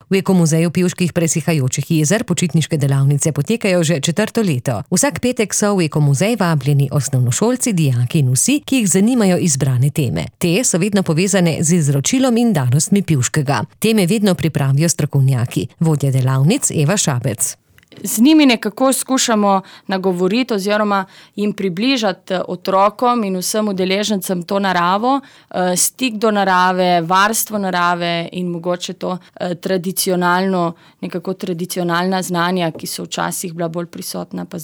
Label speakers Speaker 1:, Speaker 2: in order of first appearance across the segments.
Speaker 1: V Ekomuzeju Pivških presihajočih jezer počitniške delavnice potekajo že 4. leto. Vsak petek so v Ekomuzej vabljeni osnovnošolci, dijaki in vsi, ki jih zanimajo izbrane teme. Te so vedno povezane z izročilom in danostmi Pivškega. Teme vedno pripravijo strokovnjaki. Vodja delavnic Eva Šabec.
Speaker 2: Z njimi nekako skušamo nagovoriti oziroma jim približati otrokom in vsem udeležencem to naravo, stik do narave, varstvo narave in mogoče to tradicionalna znanja, ki so včasih bila bolj prisotna, pa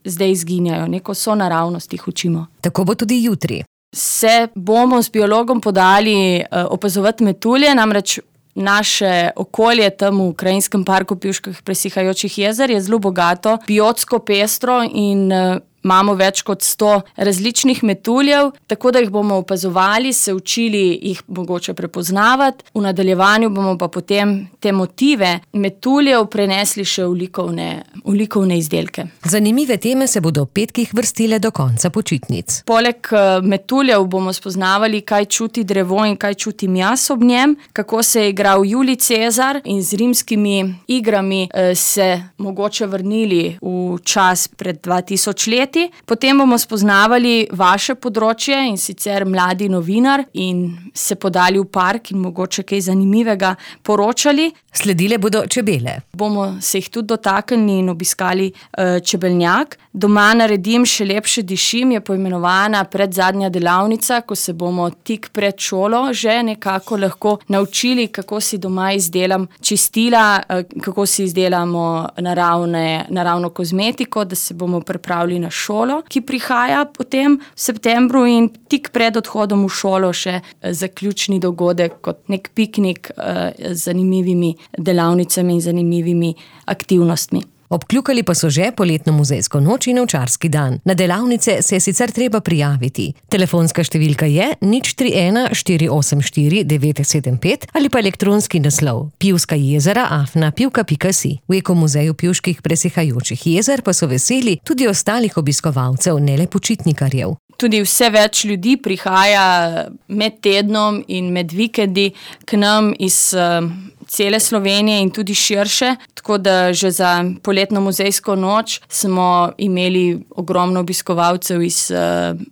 Speaker 2: zdaj izginjajo. Neko sonaravnost jih učimo.
Speaker 1: Tako bo tudi jutri.
Speaker 2: Se bomo s biologom podali opazovati metulje, namreč naše okolje tam v Krajinskem parku Pivških presihajočih jezer je zelo bogato, biotsko pestro in imamo več kot 100 različnih metuljev, tako da jih bomo opazovali, se učili jih mogoče prepoznavati. V nadaljevanju bomo pa potem te motive metuljev prenesli še v likovne izdelke.
Speaker 1: Zanimive teme se bodo v petkih vrstile do konca počitnic.
Speaker 2: Poleg metuljev bomo spoznavali, kaj čuti drevo in kaj čutim jaz ob njem, kako se je igral Julij Cezar in z rimskimi igrami se mogoče vrnili v čas pred 2000 leti. Potem bomo spoznavali vaše področje in sicer mladi novinar in se podali v park in mogoče kaj zanimivega poročali.
Speaker 1: Sledile bodo čebele.
Speaker 2: Bomo se jih tudi dotaknili in obiskali čebelnjak. Doma naredim še lepše dišim je poimenovana predzadnja delavnica, ko se bomo tik pred šolo že nekako lahko naučili, kako si doma izdelam čistila, kako si izdelamo naravno kozmetiko, da se bomo pripravili na šolo, ki prihaja potem v septembru in tik pred odhodom v šolo še zaključni dogodek kot nek piknik z zanimivimi delavnicami in zanimivimi aktivnostmi.
Speaker 1: Obkljukali pa so že poletno muzejsko noč in ovčarski dan. Na delavnice se je sicer treba prijaviti. Telefonska številka je 031 484 975 ali pa elektronski naslov pivskajezera@pivka.si. V Ekomuzeju Pivških presihajočih jezer pa so veseli tudi ostalih obiskovalcev, ne le počitnikarjev.
Speaker 2: Tudi vse več ljudi prihaja med tednom in med vikendi k nam iz cele Slovenije in tudi širše, tako da že za poletno muzejsko noč smo imeli ogromno obiskovalcev iz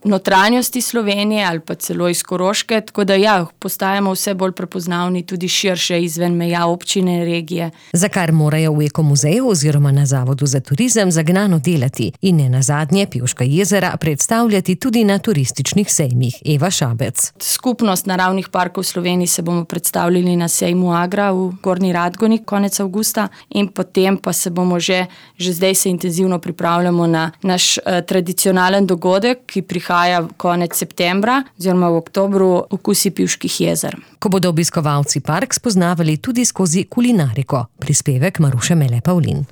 Speaker 2: notranjosti Slovenije ali pa celo iz Koroške, tako da postajamo vse bolj prepoznavni tudi širše izven meja občine, regije.
Speaker 1: Za kar morajo v Ekomuzeju oziroma na Zavodu za turizem zagnano delati in ne nazadnje Pivška jezera predstavljati tudi na turističnih sejmih. Eva Šabec.
Speaker 2: Skupnost naravnih parkov v Sloveniji se bomo predstavljali na sejmu Agra v Gornji Radgoni konec avgusta in potem pa se bomo že zdaj se intenzivno pripravljamo na naš tradicionalen dogodek, ki prihaja konec septembra oziroma v oktobru, Okusi Pivških jezer.
Speaker 1: Ko bodo obiskovalci park spoznavali tudi skozi kulinariko. Prispevek Maruše Mele Pavlin.